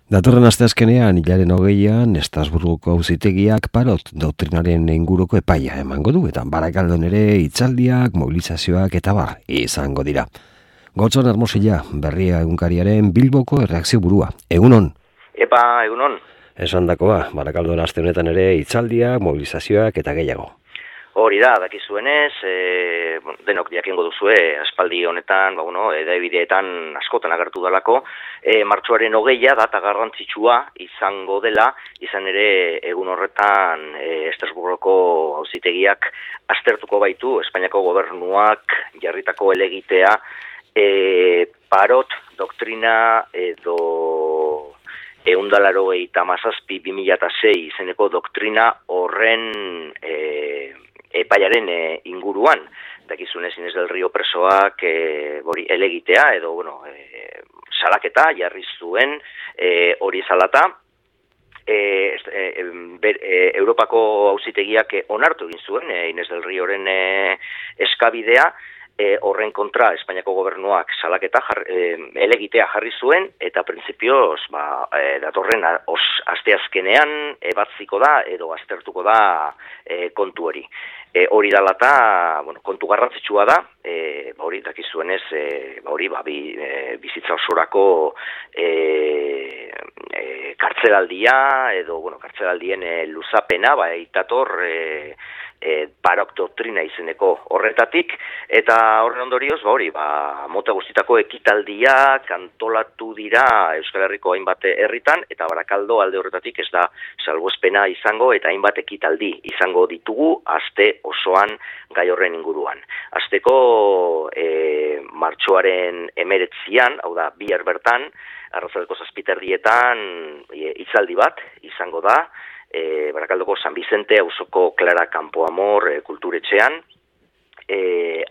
Datorren asteazkenean, hilaren 20an, Estrasburgoko auzitegiak Parot doktrinaren inguruko epaia emango du, eta Barakaldon ere hitzaldiak, mobilizazioak eta bar izango dira. Gotzon Hermosilla, Berria egunkariaren Bilboko erreakzio burua. Egunon? Epa, egunon. Esandakoa, Barakaldon aste honetan ere hitzaldiak, mobilizazioak eta gehiago. Hori da, dakizuenez, denok jakingo duzue, aspaldi honetan, edabideetan askotan agertu dalako, martxoaren 20a data garrantzitsua izango dela, izan ere egun horretan Estrasburgoko auzitegiak aztertuko baitu, Espainiako gobernuak jarritako helegitea, Parot doktrina edo 187/2006 izeneko doktrina horren epaiaren inguruan, dakizunez Inés del Río presoak helegitea edo salaketa jarri zuen hori salata. Europako auzitegiak onartu egin zuen Inés del Ríoren eskabidea, horren kontra Espainiako gobernuak salaketa helegitea jarri zuen, eta printzipioz datorren asteazkenean ebatziko da edo aztertuko da kontu hori. Hori dela eta kontu garrantzitsua da, hori dakizuenez, bizitza osorako kartzelaldia edo kartzelaldien luzapena itator Parot doktrina izeneko horretatik, eta horren ondorioz, mota guztitako ekitaldiak antolatu dira Euskal Herriko hainbat herritan, eta Barakaldo alde horretatik ez da salbuespena izango, eta hainbat ekitaldi izango ditugu aste osoan gai horren inguruan. Asteko martxoaren 19an, hau da, bihar bertan, arratsaldeko 7:00 hitzaldi bat izango da, Barakaldoko San Vicente auzoko Clara Campoamor kulturetxean,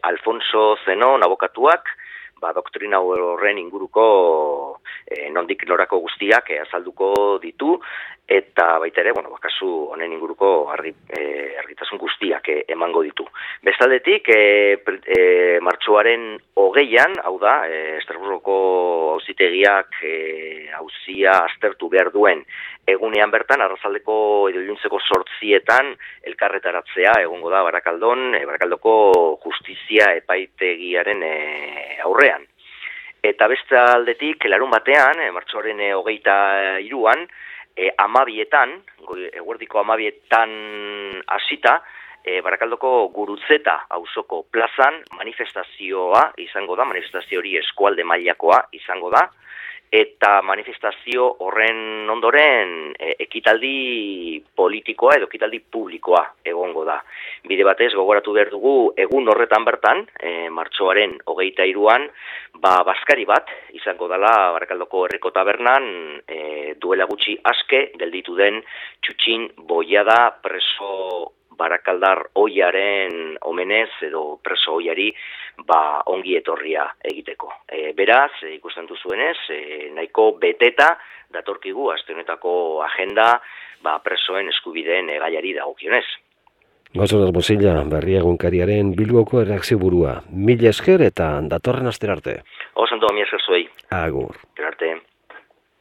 Alfonso Zenon abokatuak, doktrina horren inguruko nondik norako guztiak azalduko ditu, eta baita ere, kasu honen inguruko argitasun guztiak emango ditu. Bestaldetik, martxoaren 20an, hau da, Estrasburgoko auzitegiak auzia aztertu behar duen egunean bertan, arratsaldeko edo iluntzeko 8:00 elkarretaratzea egongo da Barakaldoko justizia epaitegiaren aurrean. Eta beste aldetik, larun batean, martxoaren 23an, 12:00, eguerdiko 12:00 hasita, Barakaldoko Gurutzeta auzoko plazan manifestazioa izango da, manifestazio hori eskualde mailakoa izango da, eta manifestazio horren ondoren ekitaldi politikoa edo ekitaldi publikoa egongo da. Bide batez gogoratu behar dugu egun horretan bertan, martxoaren 23an, bazkari bat izango dela Barakaldoko Herriko Tabernan, duela gutxi aske gelditu den Txutxin Boiada preso barakaldar ohiaren omenez edo preso ohiari ongi etorria egiteko. Beraz, ikusten duzuenez, nahiko beteta datorkigu aste honetako agenda presoen eskubideen gaiari dagokionez. Gotzon Hermosilla, Berria egunkariaren Bilboko erreakzio burua. Mila esker eta datorren astera arte. Oso ondo, mila esker zuei. Agur. Arte.